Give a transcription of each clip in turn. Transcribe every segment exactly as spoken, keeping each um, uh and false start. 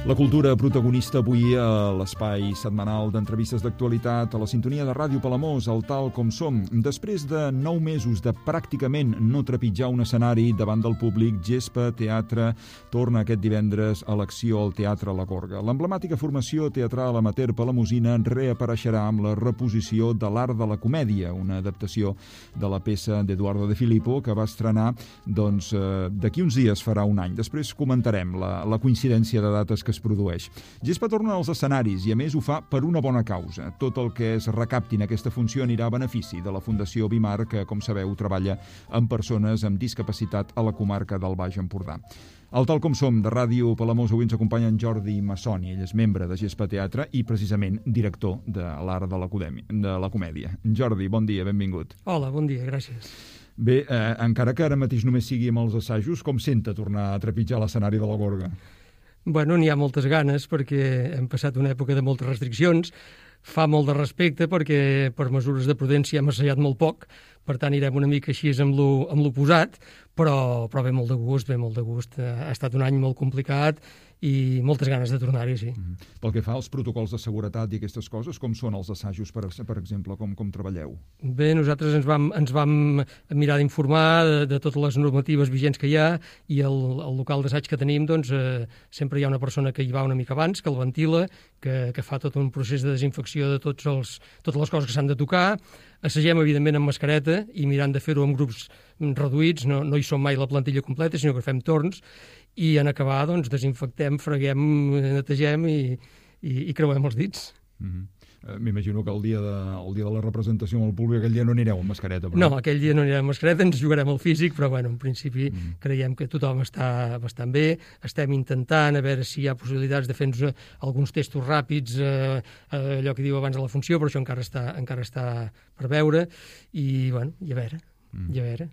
La cultura protagonista avui a l'espai setmanal d'entrevistes d'actualitat a la sintonia de Ràdio Palamós, al Tal Com Som. Després de nou mesos de pràcticament no trepitjar un escenari davant del públic, Gespa Teatre torna aquest divendres a l'acció al Teatre La Gorga. L'emblemàtica formació teatral amateur palamosina reapareixerà amb la reposició de l'Art de la Comèdia, una adaptació de la peça d'Eduardo de Filippo que va estrenar doncs, eh, d'aquí uns dies farà un any. Després comentarem la, la coincidència de dates que es produeix. Gespa torna als escenaris i, a més, ho fa per una bona causa. Tot el que es recapti en aquesta funció anirà a benefici de la Fundació Bimar, que, com sabeu, treballa amb persones amb discapacitat a la comarca del Baix Empordà. Al Tal Com Som de Ràdio Palamós avui ens acompanya en Jordi Massoni. Ell és membre de Gespa Teatre i, precisament, director de l'Art de la Comèdia. De la Comèdia. Jordi, bon dia, benvingut. Hola, bon dia, gràcies. Bé, eh, encara que ara mateix només sigui amb els assajos, com senta tornar a trepitjar l'escenari de la Gorga? Bueno, n'hi ha moltes ganes perquè hem passat una època de moltes restriccions. Fa molt de respecte perquè per mesures de prudència hem assajat molt poc, per tant irem una mica així amb lo, amb l'oposat, però, però ve molt de gust, ve molt de gust. Ha estat un any molt complicat i moltes ganes de tornar-hi, sí. Mm. Pel que fa als protocols de seguretat i aquestes coses, com són els assajos, per, per exemple, com, com treballeu? Bé, nosaltres ens vam, ens vam mirar d'informar de, de totes les normatives vigents que hi ha i el, el local d'assaig que tenim, doncs, eh, sempre hi ha una persona que hi va una mica abans, que el ventila, que, que fa tot un procés de desinfecció de tots els, totes les coses que s'han de tocar. Assagem, evidentment, amb mascareta i mirant de fer-ho amb grups reduïts, no, no hi som mai la plantilla completa, sinó que fem torns, i en acabar, doncs, desinfectem, freguem, netegem i, i, i creuem els dits. Mm-hmm. eh, M'imagino que el dia, de, el dia de la representació amb el públic, aquell dia no anireu amb mascareta. Però... No, aquell dia no anirem amb mascareta, ens jugarem al físic, però, bueno, en principi mm. creiem que tothom està bastant bé. Estem intentant a veure si hi ha possibilitats de fer-nos alguns testos ràpids, eh, allò que diu abans de la funció, però això encara està, encara està per veure, i, bueno, i a veure, mm. i a veure.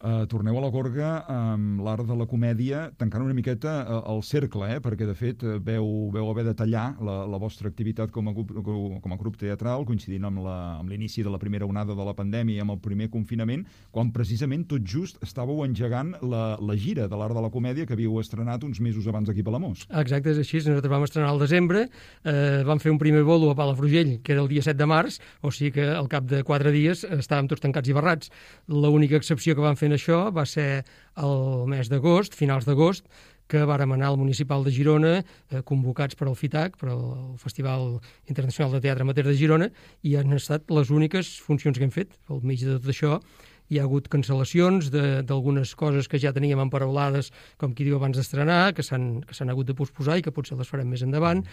Uh, torneu a la Gorga amb l'Art de la Comèdia, tancant una miqueta uh, el cercle, eh? Perquè de fet uh, veu, veu haver de tallar la, la vostra activitat com a, grup, com a grup teatral, coincidint amb la, amb l'inici de la primera onada de la pandèmia i amb el primer confinament, quan precisament tot just estàveu engegant la, la gira de l'Art de la Comèdia que havíeu estrenat uns mesos abans aquí a Palamós. Exacte, és així. Nosaltres vam estrenar al desembre, eh, vam fer un primer bolo a Palafrugell, que era el dia set de març, o sigui que al cap de quatre dies estàvem tots tancats i barrats. L'única excepció que vam fer això va ser el mes d'agost, finals d'agost, que vàrem anar al Municipal de Girona, eh, convocats per al FITAC, per al Festival Internacional de Teatre Amateur de Girona, i han estat les úniques funcions que hem fet. Al mig de tot això hi ha hagut cancel·lacions d'algunes coses que ja teníem emparaulades, com qui diu abans d'estrenar, que s'han que s'han hagut de posposar i que potser les farem més endavant.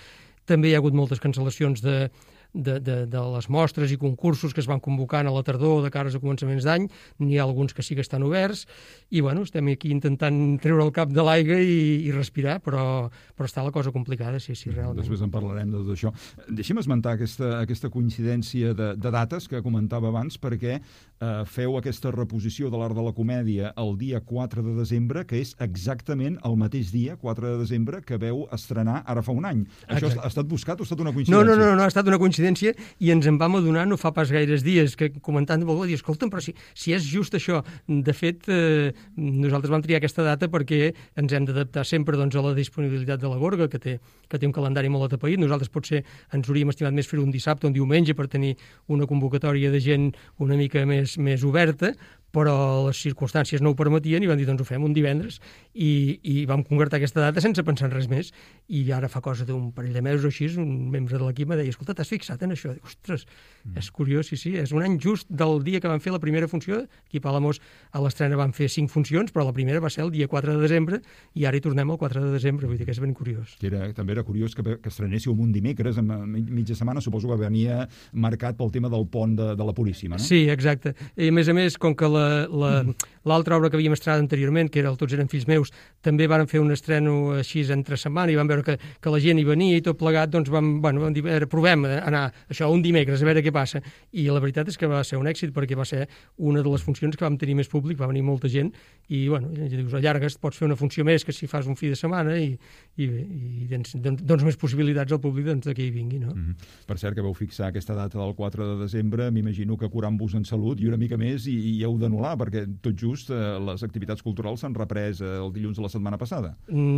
També hi ha hagut moltes cancel·lacions de De, de, de les mostres i concursos que es van convocant a la tardor de cares a començaments d'any. N'hi ha alguns que sí que estan oberts i bueno, estem aquí intentant treure el cap de l'aigua i, i respirar, però, però està la cosa complicada, sí, sí, realment. Després en parlarem de tot això. Deixi'm esmentar aquesta, aquesta coincidència de, de dates que comentava abans, perquè eh, feu aquesta reposició de l'Art de la Comèdia el dia quatre de desembre, que és exactament el mateix dia, quatre de desembre, que veu estrenar ara fa un any. Això Exacte. Ha estat buscat o ha estat una coincidència? No, no, no, no ha estat una coincidència i ens en vam adonar no fa pas gaires dies, que comentant amb algú, dir, escolta'm, però si, si és just això. De fet, eh, nosaltres vam triar aquesta data perquè ens hem d'adaptar sempre doncs, a la disponibilitat de la Gorga, que té, que té un calendari molt atapeït. Nosaltres potser ens hauríem estimat més fer un dissabte o un diumenge per tenir una convocatòria de gent una mica més, més oberta, però les circumstàncies no ho permetien i vam dir, doncs ho fem un divendres, i, i vam concretar aquesta data sense pensar en res més. I ara fa cosa d'un parell de mesos o així, un membre de l'equip em deia, escolta, t'has fixat en això? Dic, ostres, mm. és curiós, sí, sí, és un any just del dia que vam fer la primera funció. Aquí a Palamós a l'estrena van fer cinc funcions, però la primera va ser el dia quatre de desembre i ara hi tornem el quatre de desembre, vull dir que és ben curiós. Que era, també era curiós que, que estrenéssiu un dimecres, en mitja setmana, suposo que venia marcat pel tema del pont de, de la Puríssima, no? Sí, exacte. I a més a més, com que la l'altra obra que havíem estrenat anteriorment, que era el Tots eren fills meus, també van fer un estreno així entre setmana i vam veure que, que la gent hi venia i tot plegat, doncs vam, bueno, vam dir, provem anar això un dimecres, a veure què passa. I la veritat és que va ser un èxit perquè va ser una de les funcions que vam tenir més públic, va venir molta gent i, bueno, dius, allargues, pots fer una funció més que si fas un fi de setmana i, i, i dones, dones més possibilitats al públic doncs, que hi vingui, no? Mm-hmm. Per cert, que vau fixar aquesta data del quatre de desembre, m'imagino que curant-vos en salut i una mica més i, i heu d'anul·lar, perquè tot just just eh, les activitats culturals s'han reprès eh, el dilluns de la setmana passada.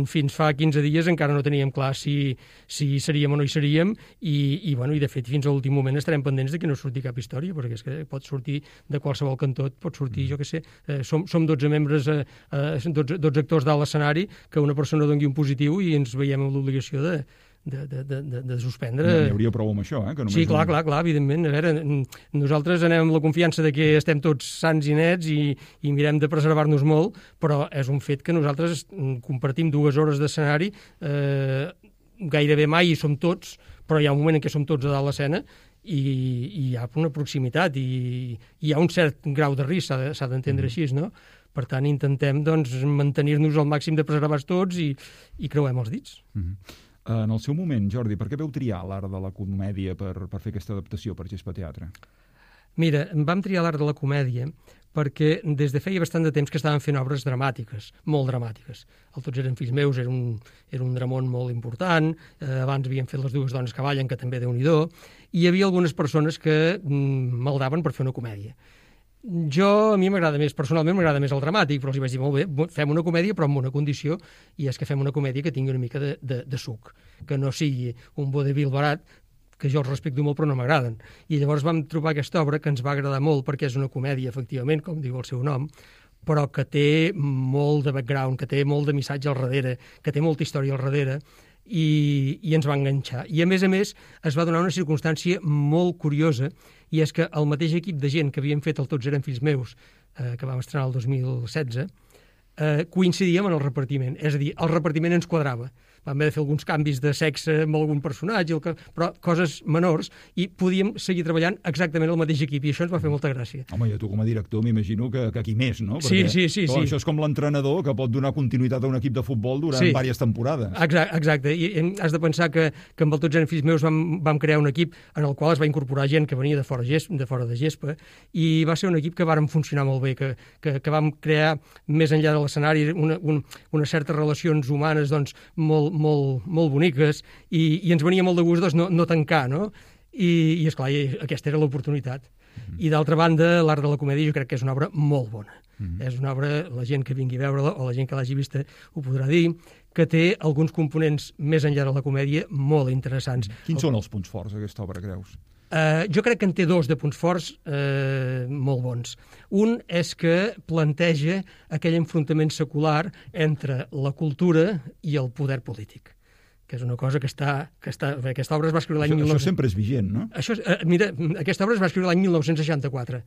Fins fa quinze dies encara no teníem clar si, si seríem o no hi seríem i, i, bueno, i de fet fins a l'últim moment estarem pendents de que no surti cap història, perquè és que pot sortir de qualsevol cantó, pot sortir, mm. jo què sé, eh, som, som dotze membres, eh, dotze, dotze actors dalt l'escenari, que una persona doni un positiu i ens veiem amb l'obligació de De, de, de, de suspendre. No, n'hi hauria prou amb això, eh? Que només sí, clar, un... clar, clar, evidentment. A veure, nosaltres anem amb la confiança de que estem tots sants i nets i, i mirem de preservar-nos molt, però és un fet que nosaltres compartim dues hores d'escenari, eh, gairebé mai hi som tots, però hi ha un moment en què som tots a dalt l'escena i, i hi ha una proximitat i, i hi ha un cert grau de risc, s'ha d'entendre mm. així, no? Per tant, intentem doncs, mantenir-nos al màxim de preservats tots i, i creuem els dits. Mm-hmm. En el seu moment, Jordi, per què vau triar l'art de la comèdia per, per fer aquesta adaptació per Gespa Teatre? Mira, vam triar l'art de la comèdia perquè des de feia bastant de temps que estaven fent obres dramàtiques, molt dramàtiques. El Tots eren fills meus era un, era un dramón molt important, eh, abans havien fet Les dues dones que ballen, que també Déu-n'hi-do, i hi havia algunes persones que mm, maldaven per fer una comèdia. Jo, a mi m'agrada més, personalment m'agrada més el dramàtic, però els hi vaig dir, molt bé, fem una comèdia, però amb una condició, i és que fem una comèdia que tingui una mica de, de, de suc, que no sigui un vodevil barat, que jo els respecto molt però no m'agraden. I llavors vam trobar aquesta obra que ens va agradar molt perquè és una comèdia, efectivament, com diu el seu nom, però que té molt de background, que té molt de missatge al darrere, que té molta història al darrere, i, i ens va enganxar. I a més a més es va donar una circumstància molt curiosa, i és que el mateix equip de gent que havien fet el Tots eren fills meus, eh, que vam estrenar el dos mil setze, eh, coincidíem en el repartiment. És a dir, el repartiment ens quadrava. Vam haver de fer alguns canvis de sexe amb algun personatge, però coses menors, i podíem seguir treballant exactament el mateix equip, i això ens va fer molta gràcia. Home, i a tu com a director m'imagino que, que aquí més, no? Perquè, sí, sí, sí, clar, sí. Això és com l'entrenador que pot donar continuïtat a un equip de futbol durant sí. diverses temporades. Exacte, exacte. I has de pensar que, que amb el Tots eren fills meus vam, vam crear un equip en el qual es va incorporar gent que venia de fora, de fora de Gespa, i va ser un equip que vàrem funcionar molt bé, que, que, que vam crear més enllà de l'escenari una, un, unes certes relacions humanes doncs, molt, molt, molt boniques, i, i ens venia molt de gust doncs, no, no tancar, no? I, i esclar, i aquesta era l'oportunitat. Mm-hmm. I d'altra banda, l'art de la comèdia jo crec que és una obra molt bona. Mm-hmm. És una obra, la gent que vingui a veure-la o la gent que l'hagi vista ho podrà dir, que té alguns components més enllà de la comèdia molt interessants. Quins són els punts forts d'aquesta obra, creus? Uh, jo crec que en té dos de punts forts uh, molt bons. Un és que planteja aquell enfrontament secular entre la cultura i el poder polític, que és una cosa que està... Que està aquesta obra es va escriure l'any... Això, mil nou cents... això sempre és vigent, no? Això, uh, mira, aquesta obra es va escriure l'any mil nou-cents seixanta-quatre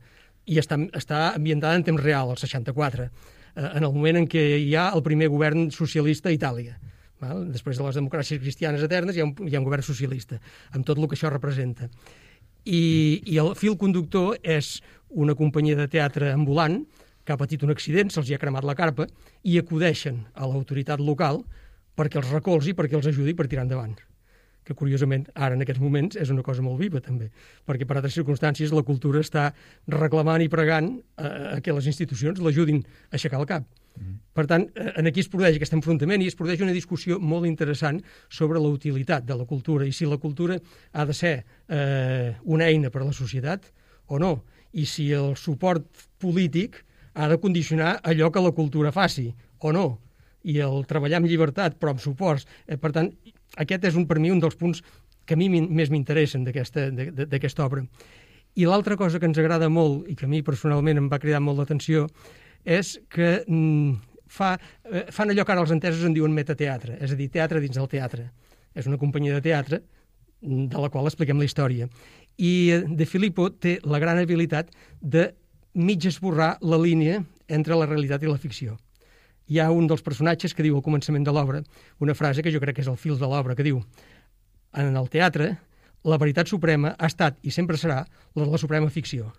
i està, està ambientada en temps real, el seixanta-quatre, uh, en el moment en què hi ha el primer govern socialista a Itàlia. Val? Després de les democràcies cristianes eternes hi ha, un, hi ha un govern socialista, amb tot el que això representa. I, i el fil conductor és una companyia de teatre ambulant que ha patit un accident, se'ls ha cremat la carpa, i acudeixen a l'autoritat local perquè els recolzi, perquè els ajudi per tirar endavant. Que, curiosament, ara en aquests moments és una cosa molt viva, també, perquè per altres circumstàncies la cultura està reclamant i pregant eh, que les institucions l'ajudin a aixecar el cap. Mm. Per tant, en aquí es produeix aquest enfrontament i es produeix una discussió molt interessant sobre la utilitat de la cultura i si la cultura ha de ser eh, una eina per a la societat o no, i si el suport polític ha de condicionar allò que la cultura faci o no, i el treballar amb llibertat però amb suports. Eh, per tant, aquest és un, per mi un dels punts que a mi més m'interessen d'aquesta obra. I l'altra cosa que ens agrada molt i que a mi personalment em va cridar molt l'atenció és que mm, fa, eh, fan allò que ara els entesos en diuen metateatre, és a dir, teatre dins del teatre. És una companyia de teatre de la qual expliquem la història. I De Filippo té la gran habilitat de mig esborrar la línia entre la realitat i la ficció. Hi ha un dels personatges que diu al començament de l'obra una frase que jo crec que és el fil de l'obra, que diu: en el teatre, la veritat suprema ha estat i sempre serà la de la suprema ficció.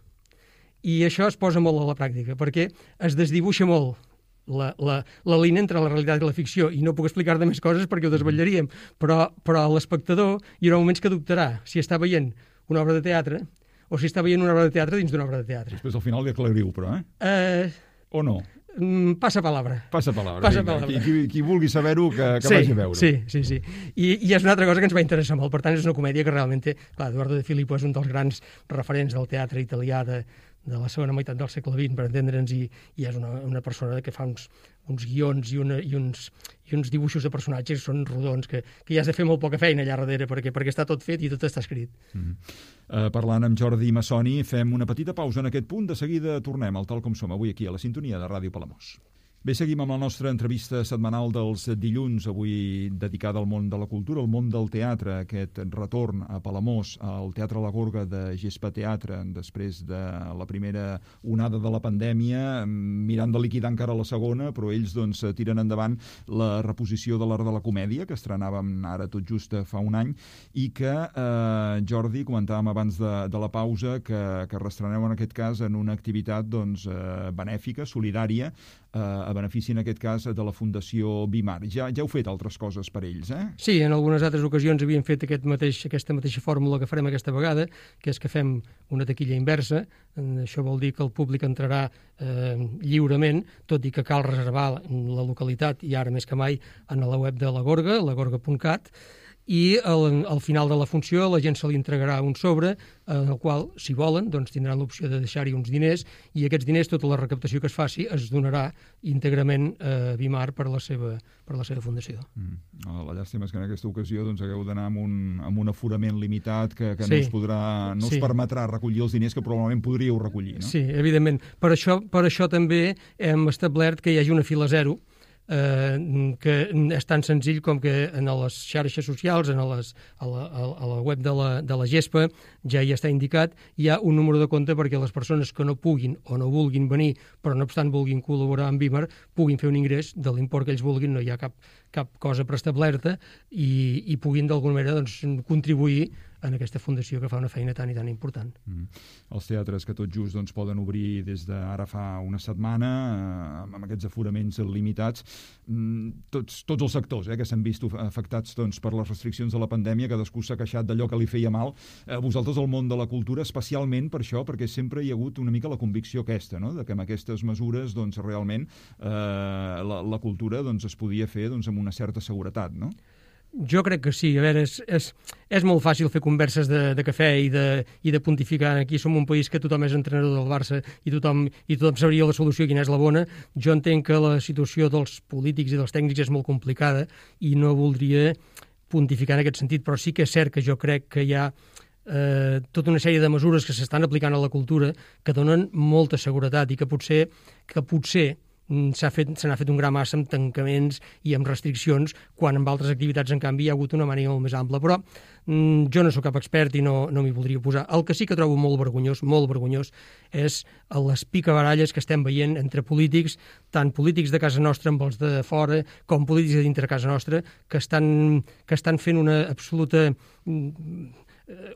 I això es posa molt a la pràctica, perquè es desdibuixa molt la, la, la línia entre la realitat i la ficció, i no puc explicar-te més coses perquè ho desvetllaríem, però, però l'espectador hi haurà moments que dubtarà si està veient una obra de teatre o si està veient una obra de teatre dins d'una obra de teatre. Després al final li aclariu, però, eh? Uh... O no? Passa palabra. Passa palabra. Passa palabra. Qui, qui, qui vulgui saber-ho, que, que sí, vagi a veure. Sí, sí, sí. I, I és una altra cosa que ens va interessar molt. Per tant, és una comèdia que realment té... Clar, Eduardo De Filippo és un dels grans referents del teatre italià de, de la segona meitat del segle vint, per entendre'ns, i, i és una, una persona que fa uns, uns guions i, una, i, uns, i uns dibuixos de personatges que són rodons, que, que ja has de fer molt poca feina allà darrere, perquè, perquè està tot fet i tot està escrit. Mm. Uh, parlant amb Jordi Massoni, fem una petita pausa en aquest punt, de seguida tornem al Tal Com Som, avui aquí a la sintonia de Ràdio Palamós. Bé, seguim amb la nostra entrevista setmanal dels dilluns, avui dedicada al món de la cultura, al món del teatre, aquest retorn a Palamós, al Teatre La Gorga de Gespa Teatre, després de la primera onada de la pandèmia, mirant de liquidar encara la segona, però ells doncs tiren endavant la reposició de l'Art de la Comèdia, que estrenàvem ara tot just fa un any, i que, eh, Jordi, comentàvem abans de, de la pausa, que, que reestreneu en aquest cas en una activitat doncs, eh, benèfica, solidària, a benefici, en aquest cas, de la Fundació Bimar. Ja, ja heu fet altres coses per ells, eh? Sí, en algunes altres ocasions havíem fet aquest mateix, aquesta mateixa fórmula que farem aquesta vegada, que és que fem una taquilla inversa. Això vol dir que el públic entrarà eh, lliurement, tot i que cal reservar la localitat, i ara més que mai, en la web de la Gorga, la gorga punt cat, i al, al final de la funció la gent se li entregarà un sobre en el qual, si volen, doncs tindran l'opció de deixar-hi uns diners, i aquests diners, tota la recaptació que es faci, es donarà íntegrament a Bimar per la seva, per la seva fundació. Mm. La llàstima és que en aquesta ocasió doncs, hagueu d'anar amb, un, amb un aforament limitat que, que sí. no us podrà, no sí. us permetrà recollir els diners que probablement podríeu recollir, no? Sí, evidentment. Per això, per això també hem establert que hi hagi una fila zero, Eh, que és tan senzill com que en les xarxes socials, en les, a, la, a la web de la, de la Gespa, ja hi està indicat, hi ha un número de compte perquè les persones que no puguin o no vulguin venir, però no obstant vulguin col·laborar amb Bimar, puguin fer un ingrés de l'import que ells vulguin, no hi ha cap, cap cosa preestablerta, i, i puguin d'alguna manera doncs, contribuir en aquesta fundació que fa una feina tan i tan important. Mm. Els teatres que tot just doncs, poden obrir des d'ara fa una setmana, eh, amb aquests aforaments limitats, mm, tots, tots els sectors eh, que s'han vist afectats doncs, per les restriccions de la pandèmia, cadascú s'ha queixat d'allò que li feia mal. Eh, vosaltres, al món de la cultura, especialment per això, perquè sempre hi ha hagut una mica la convicció aquesta, no? De que amb aquestes mesures doncs, realment eh, la, la cultura doncs, es podia fer doncs, amb una certa seguretat, no? Jo crec que sí. A veure, és, és, és molt fàcil fer converses de, de cafè i de, i de pontificar. Aquí som un país que tothom és entrenador del Barça i tothom, i tothom sabria la solució, quina és la bona. Jo entenc que la situació dels polítics i dels tècnics és molt complicada i no voldria pontificar en aquest sentit, però sí que és cert que jo crec que hi ha eh, tota una sèrie de mesures que s'estan aplicant a la cultura que donen molta seguretat i que potser, que potser s'ha fet, se n'ha fet un gran massa amb tancaments i amb restriccions, quan amb altres activitats, en canvi, hi ha hagut una manera molt més ampla. Però mm, jo no sóc cap expert i no, no m'hi voldria posar. El que sí que trobo molt vergonyós, molt vergonyós, és les picabaralles que estem veient entre polítics, tant polítics de casa nostra amb els de fora, com polítics de dintre casa nostra, que estan, que estan fent una absoluta...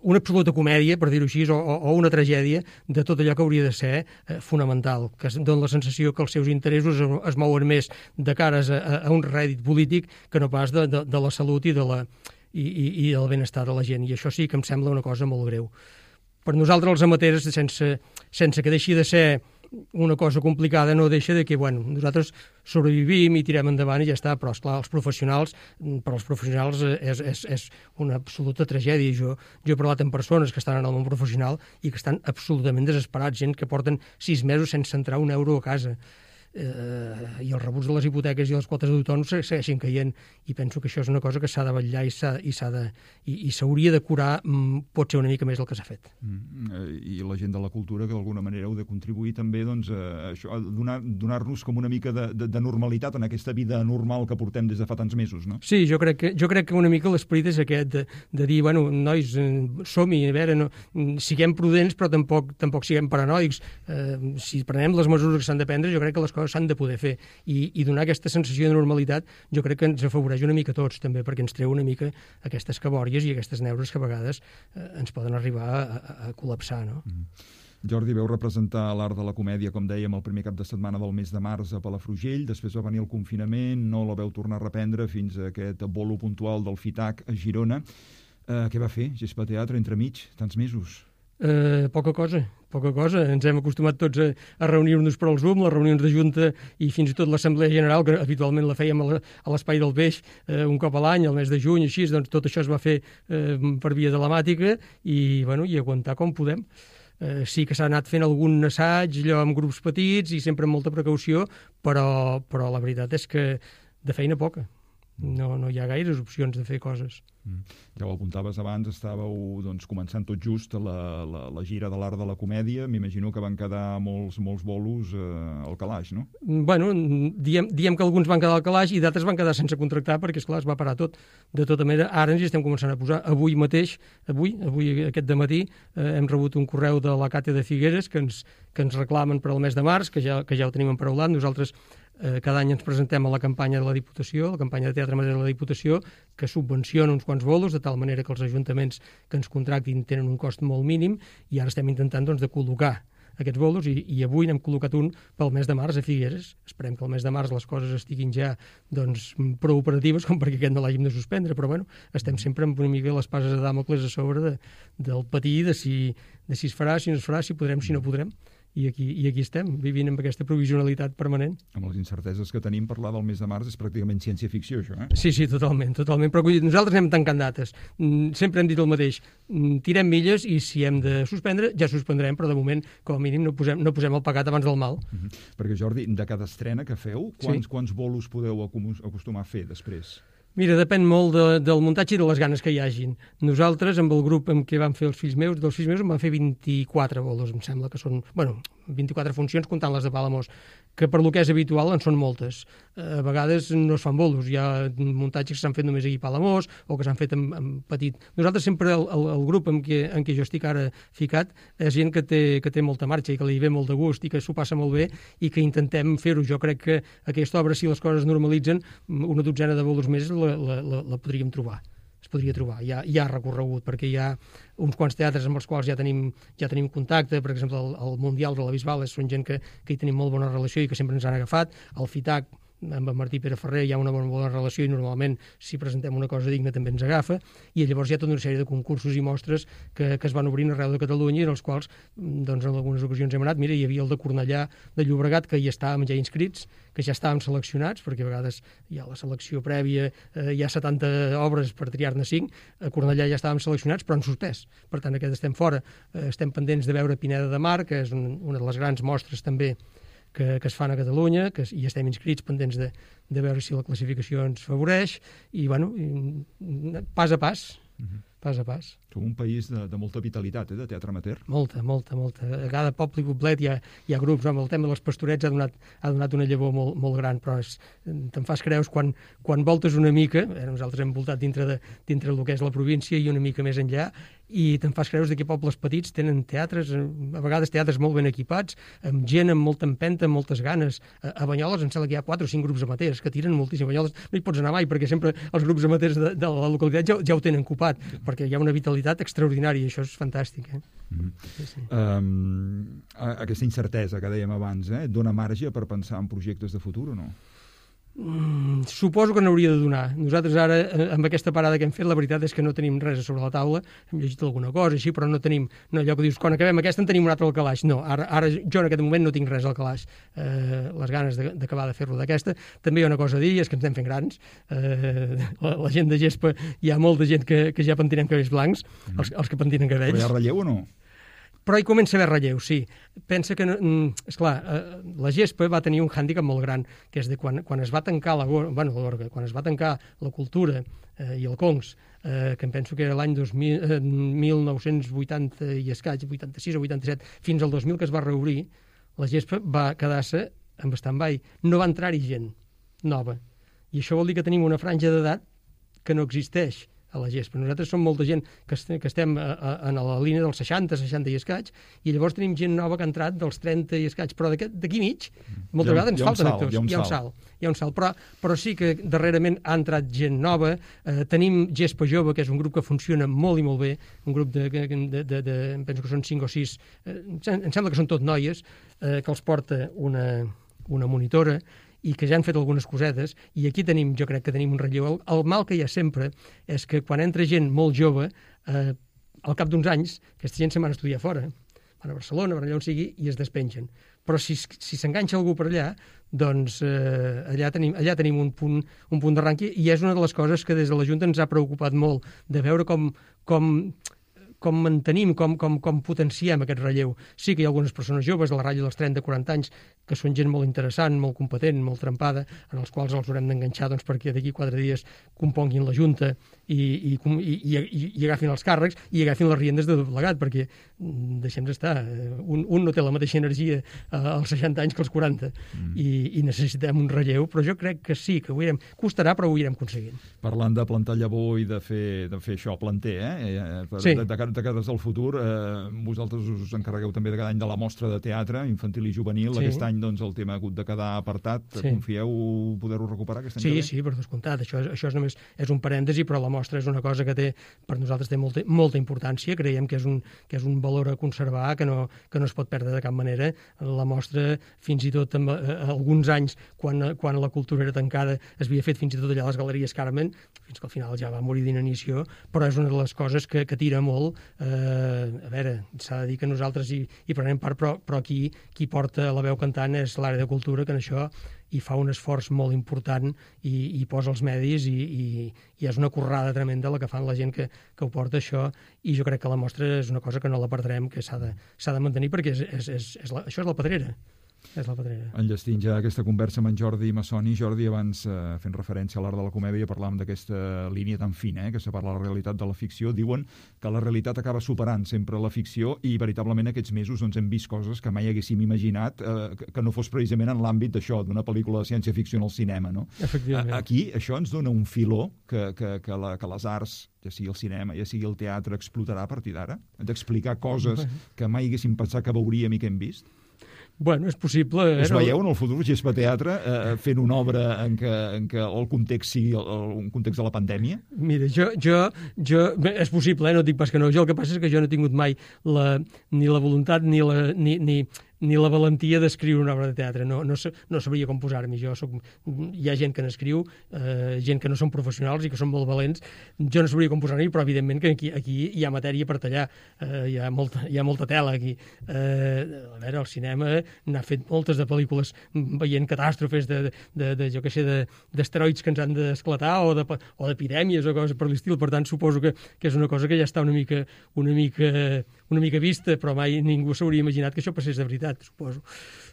una absoluta comèdia, per dir-ho així, o, o una tragèdia de tot allò que hauria de ser eh, fonamental, que es dona la sensació que els seus interessos es, es mouen més de cares a, a un rèdit polític que no pas de, de, de la salut i, de la, i, i, i del benestar de la gent. I això sí que em sembla una cosa molt greu. Per nosaltres, els amateurs, sense, sense que deixi de ser una cosa complicada, no deixa de que, bueno, nosaltres sobrevivim i tirem endavant i ja està, però, esclar, els professionals, per als professionals és, és, és una absoluta tragèdia. Jo, jo he parlat amb persones que estan en el món professional i que estan absolutament desesperats, gent que porten sis mesos sense entrar un euro a casa. Eh, i els rebuts de les hipoteques i les quotes d'autònoms segueixen caient, i penso que això és una cosa que s'ha de vetllar i s'ha i s'ha de i, i s'hauria de curar, mm, pot ser una mica més del que s'ha fet. Mm, i la gent de la cultura que d'alguna manera heu de contribuir també doncs, a, això, a donar, donar-nos com una mica de, de, de normalitat en aquesta vida normal que portem des de fa tants mesos, no? Sí, jo crec que, jo crec que una mica l'esperit és aquest de, de dir, bueno, nois, som-hi, a veure, no, siguem prudents però tampoc, tampoc siguem paranoics. Eh, si prenem les mesures que s'han de prendre, jo crec que les coses s'han de poder fer, i, i donar aquesta sensació de normalitat jo crec que ens afavoreix una mica a tots també, perquè ens treu una mica aquestes cabòries i aquestes neures que a vegades eh, ens poden arribar a, a, a col·lapsar, no? Mm. Jordi, veu representar l'Art de la Comèdia, com dèiem, el primer cap de setmana del mes de març a Palafrugell, després va venir el confinament, no la veu tornar a reprendre fins a aquest bolo puntual del FITAC a Girona. Eh, què va fer Gespa Teatre entremig, tants mesos? Eh, poca cosa, poca cosa. Ens hem acostumat tots a, a reunir-nos per al Zoom, les reunions de Junta i fins i tot l'Assemblea General, que habitualment la fèiem a l'Espai del Peix eh, un cop a l'any, al mes de juny, així, doncs tot això es va fer eh, per via telemàtica i, bueno, i aguantar com podem. Eh, sí que s'ha anat fent algun assaig, allò amb grups petits i sempre amb molta precaució, però, però la veritat és que de feina poca. No, no hi ha gaires opcions de fer coses. Mm. Ja ho apuntaves abans, estàveu doncs, començant tot just la, la, la gira de l'Art de la Comèdia. M'imagino que van quedar molts, molts bolos eh, al calaix, no? Bueno, diem, diem que alguns van quedar al calaix i d'altres van quedar sense contractar perquè, esclar, es va parar tot. De tota manera, ara ens hi estem començant a posar. Avui mateix, avui, avui aquest dematí, eh, hem rebut un correu de la Càtia de Figueres que ens, que ens reclamen per al mes de març, que ja, que ja ho tenim emparaulat. Nosaltres Eh, cada any ens presentem a la campanya de la Diputació, la campanya de Teatre Amateur de la Diputació, que subvenciona uns quants bolos, de tal manera que els ajuntaments que ens contractin tenen un cost molt mínim, i ara estem intentant doncs, de col·locar aquests bolos, i, i avui n'hem col·locat un pel mes de març a Figueres. Esperem que el mes de març les coses estiguin ja doncs, prou operatives com perquè aquest no l'hàgim de suspendre, però bueno, estem sempre amb una mica les passes de Dàmocles a sobre de, del patir de si, de si es farà, si no es farà, si podrem, si no podrem. I aquí, i aquí estem, vivint amb aquesta provisionalitat permanent. Amb les incerteses que tenim, parlar del mes de març és pràcticament ciència-ficció, això, eh? Sí, sí, totalment, totalment. Però nosaltres anem tancant dates. Sempre hem dit el mateix. Tirem milles i si hem de suspendre, ja suspendrem, però de moment, com a mínim, no posem, no posem el pecat abans del mal. Uh -huh. Perquè, Jordi, de cada estrena que feu, quants, sí. quants bolos podeu acostumar a fer després? Mira, depèn molt de, del muntatge i de les ganes que hi hagin. Nosaltres, amb el grup amb què vam fer els fills meus, dels fills meus, en vam fer vint-i-quatre bolos, em sembla que són... Bueno, vint-i-quatre funcions, comptant les de Palamós, que per lo que és habitual en són moltes. A vegades no es fan bolos, hi ha muntatges que s'han fet només aquí a Palamós o que s'han fet en, en petit. Nosaltres sempre, el, el, el grup en què, en què jo estic ara ficat, és gent que té, que té molta marxa i que li ve molt de gust i que s'ho passa molt bé i que intentem fer-ho. Jo crec que aquesta obra, si les coses normalitzen, una dotzena de bolos més la, la, la, la podríem trobar. Es podria trobar, hi ha, hi ha recorregut, perquè hi ha uns quants teatres amb els quals ja tenim, ja tenim contacte, per exemple, el, el Mundial de la Bisbal són gent que, que hi tenim molt bona relació i que sempre ens han agafat, el FITAC, amb en Martí Pere Ferrer hi ha una bona, bona relació i normalment si presentem una cosa digna també ens agafa, i llavors hi ha tota una sèrie de concursos i mostres que, que es van obrint arreu de Catalunya i en els quals doncs, en algunes ocasions hem anat. Mira, hi havia el de Cornellà de Llobregat, que hi estàvem ja inscrits, que ja estàvem seleccionats, perquè a vegades hi ha la selecció prèvia, eh, hi ha setanta obres per triar-ne cinc, a Cornellà ja estàvem seleccionats però han suspès, per tant aquest estem fora. Eh, estem pendents de veure Pineda de Mar, que és un, una de les grans mostres també que, que es fan a Catalunya, que hi estem inscrits pendents de, de veure si la classificació ens favoreix, i bueno, pas a pas, uh-huh. pas a pas. Som un país de, de molta vitalitat, eh, de teatre amateur. Molta, molta, molta. A cada poble i poblet hi ha, hi ha grups. Home, el tema dels pastorets ha donat, ha donat una llavor molt, molt gran, però és, te'n fas creus quan, quan voltes una mica, eh, nosaltres hem voltat dintre, de, dintre del que és la província i una mica més enllà, i te'n fas creus que pobles petits tenen teatres, a vegades teatres molt ben equipats, amb gent amb molta empenta, amb moltes ganes. A, a Banyoles em sembla que hi ha quatre o cinc grups amateurs que tiren moltíssim. A Banyoles no hi pots anar mai, perquè sempre els grups amateurs de, de la localitat ja, ja ho tenen ocupat, perquè hi ha una vitalitat extraordinària, i això és fantàstic. Eh? Mm-hmm. Sí, sí. Um, aquesta incertesa que dèiem abans, eh, dona marge per pensar en projectes de futur o no? Mm, suposo que n'hauria de donar. Nosaltres ara, amb aquesta parada que hem fet, la veritat és que no tenim res sobre la taula. Hem llegit alguna cosa així, però no tenim, no allò que dius, quan acabem aquesta en tenim un altre al calaix. No, ara, ara jo en aquest moment no tinc res al calaix. Eh, les ganes d'acabar de, de fer-lo d'aquesta. També hi ha una cosa a dir, és que ens estem fent grans. Eh, la, la gent de gespa, hi ha molta gent que, que ja pentinem cabells blancs, mm. els, els que pentinen cabells. Però hi ha relleu o no? Però hi comença a haver relleu, sí. Pensa que, esclar, eh, la gespa va tenir un hàndicap molt gran, que és de quan, quan es va tancar la, bueno, la Gorga, quan es va tancar la cultura eh, i el Congs, eh, que em penso que era l'any eh, mil nou-cents vuitanta i escaig, vuitanta-sis o vuitanta-set, fins al dos mil que es va reobrir, la gespa va quedar-se en stand-by. No va entrar-hi gent nova. I això vol dir que tenim una franja d'edat que no existeix a la gespa. Nosaltres som molta gent que, est que estem a, a, a la línia dels seixanta, seixanta i escaig, i llavors tenim gent nova que ha entrat dels trenta i escaig, però d'aquí mig, moltes vegades ens falten actors. Hi ha un hi ha un salt. Hi ha un salt, però, però sí que darrerament ha entrat gent nova. Eh, tenim Gespa Jove, que és un grup que funciona molt i molt bé, un grup de, de, de, de, de em penso que són cinc o sis, eh, em sembla que són tot noies, eh, que els porta una, una monitora, i que ja han fet algunes cosetes, i aquí tenim, jo crec que tenim un relleu. El, el mal que hi ha sempre és que quan entra gent molt jove, eh, al cap d'uns anys, aquesta gent se'n van a estudiar fora, van a Barcelona, van allà on sigui, i es despengen. Però si, si s'enganxa algú per allà, doncs eh, allà tenim, allà tenim un punt, un punt d'arranque, i és una de les coses que des de la Junta ens ha preocupat molt, de veure com, com com mantenim, com, com, com potenciem aquest relleu. Sí que hi ha algunes persones joves de la ratlla dels trenta a quaranta anys que són gent molt interessant, molt competent, molt trempada, en els quals els haurem d'enganxar doncs, perquè d'aquí quatre dies componguin la Junta i, i, i, i, i agafin els càrrecs i agafin les riendes de doblegat, perquè deixem d'estar. Un, un no té la mateixa energia als seixanta anys que als quaranta mm. i, i necessitem un relleu, però jo crec que sí, que ho irem, costarà, però ho irem aconseguint. Parlant de plantar llavor i de fer, de fer això, planter, eh? Per, sí. de, de, de cares al futur, eh, vosaltres us encarregueu també de cada any de la mostra de teatre infantil i juvenil. Sí. Aquest any doncs, el tema ha hagut de quedar apartat. Sí. Confieu poder-ho recuperar aquest any? Sí, sí, per descomptat. Això, això és només és un parèntesi, però la mostra és una cosa que té, per nosaltres té molta, molta importància. Creiem que és, un, que és un valor a conservar, que no, que no es pot perdre de cap manera. La mostra, fins i tot en, eh, alguns anys, quan, quan la cultura era tancada, es havia fet fins i tot allà a les Galeries Carmen, fins que al final ja va morir d'inanició, però és una de les coses que, que tira molt. Eh, a veure, s'ha de dir que nosaltres hi, hi prenem part, però, però aquí qui porta la veu cantant és l'àrea de cultura, que en això hi fa un esforç molt important i, i posa els medis i, i, i és una currada tremenda la que fan la gent que, que ho porta això, i jo crec que la mostra és una cosa que no la perdrem, que s'ha de, s'ha de mantenir, perquè és, és, és, és la, això és la pedrera. És la pedrera. Enllestint ja aquesta conversa amb en Jordi Massoni. Jordi, abans, eh, fent referència a l'art de la comèdia, parlàvem d'aquesta línia tan fina, eh, que separa la realitat de la ficció. Diuen que la realitat acaba superant sempre la ficció i veritablement aquests mesos doncs, hem vist coses que mai haguéssim imaginat eh, que, que no fos precisament en l'àmbit d'això, d'una pel·lícula de ciència-ficció en el cinema, no? Efectivament. Aquí això ens dona un filó que, que, que, la, que les arts, ja sigui el cinema, ja sigui el teatre, explotarà a partir d'ara? D'explicar coses que mai haguéssim pensat que veuríem i que hem vist? Bueno, és possible... Eh? Us veieu en el futur, Gespa Teatre, eh, fent una obra en què, en què el context sigui el, el, un context de la pandèmia? Mira, jo, jo, jo... Bé, és possible, eh? No dic pas que no. Jo el que passa és que jo no he tingut mai la, ni la voluntat ni la... Ni, ni, ni la valentia d'escriure una obra de teatre. No, no, no sabria com posar-m'hi. Jo soc... Hi ha gent que n'escriu, eh, gent que no són professionals i que són molt valents. Jo no sabria com posar-m'hi, però evidentment que aquí, aquí hi ha matèria per tallar. Eh, hi, ha molta, hi ha molta tela aquí. Eh, a veure, el cinema n'ha fet moltes de pel·lícules veient catàstrofes de, de, de, de jo què sé, d'asteroids que ens han d'esclatar o de, o d'epidèmies o coses per l'estil. Per tant, suposo que, que és una cosa que ja està una mica, una mica, una mica vista, però mai ningú s'hauria imaginat que això passés de veritat, suposo.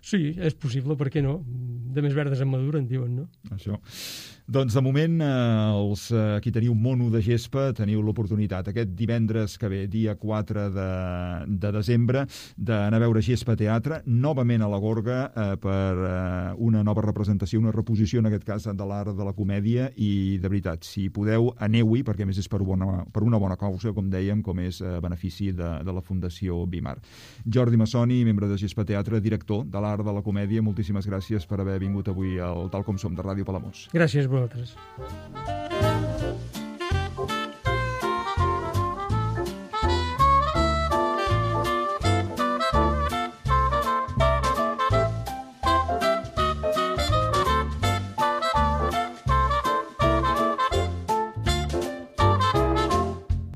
Sí, és possible, per què no? De més verdes en madura, en diuen, no? Això. Doncs, de moment, eh, els, eh, qui teniu mono de gespa, teniu l'oportunitat aquest divendres que ve, dia quatre de, de desembre, d'anar a veure Gespa Teatre, novament a la Gorga, eh, per eh, una nova representació, una reposició, en aquest cas, de l'art de la comèdia, i, de veritat, si podeu, aneu-hi, perquè a més és per una, per una bona causa, com dèiem, com és eh, benefici de, de la Fundació Bimar. Jordi Massoni, membre de Gespa Teatre, director de l'art de la comèdia, moltíssimes gràcies per haver vingut avui al Tal Com Som de Ràdio Palamós. Gràcies a vosaltres.